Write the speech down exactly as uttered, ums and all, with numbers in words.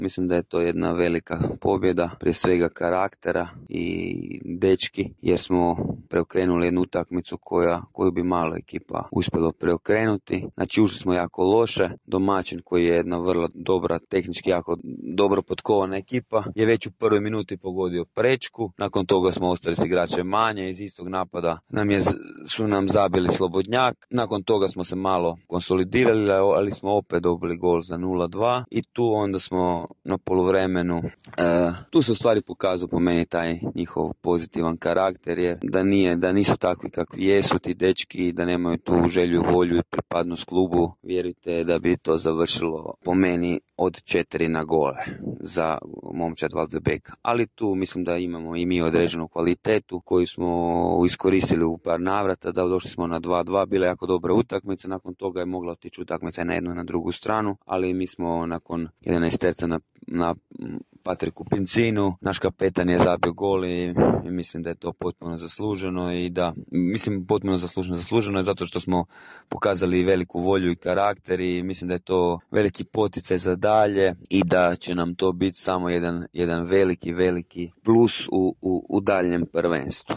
Mislim da je to jedna velika pobjeda, prije svega karaktera i dečki, jer smo preokrenuli jednu utakmicu koja, koju bi malo ekipa uspjelo preokrenuti. Znači ušli smo jako loše, domaćin koji je jedna vrlo dobra, tehnički jako dobro potkovana ekipa, je već u prvoj minuti pogodio prečku, nakon toga smo ostali s igračem manje, iz istog napada nam je, su nam zabili slobodnjak, nakon toga smo se malo konsolidirali, ali smo opet dobili gol za nula dva i tu onda smo na poluvremenu, uh, tu se u stvari pokazao po meni taj njihov pozitivan karakter, jer da nije, da nisu takvi kakvi jesu ti dečki, da nemaju tu želju, volju i pripadnost klubu, vjerujte da bi to završilo po meni od četiri na gole za momčad Waldbeka. Ali tu mislim da imamo i mi određenu kvalitetu koju smo iskoristili u par navrata, da došli smo na dva dva, bila je jako dobra utakmica, nakon toga je mogla otići utakmica na jednu i na drugu stranu, ali mi smo nakon jedanaest terca na, na Patriku Pincinu, naš kapetan je zabio gol i, i mislim da je to potpuno zasluženo i da, mislim potpuno zasluženo, zasluženo je zato što smo pokazali veliku volju i karakter i mislim da je to veliki poticaj za dalje i da će nam to biti samo jedan, jedan veliki, veliki plus u, u, u daljem prvenstvu.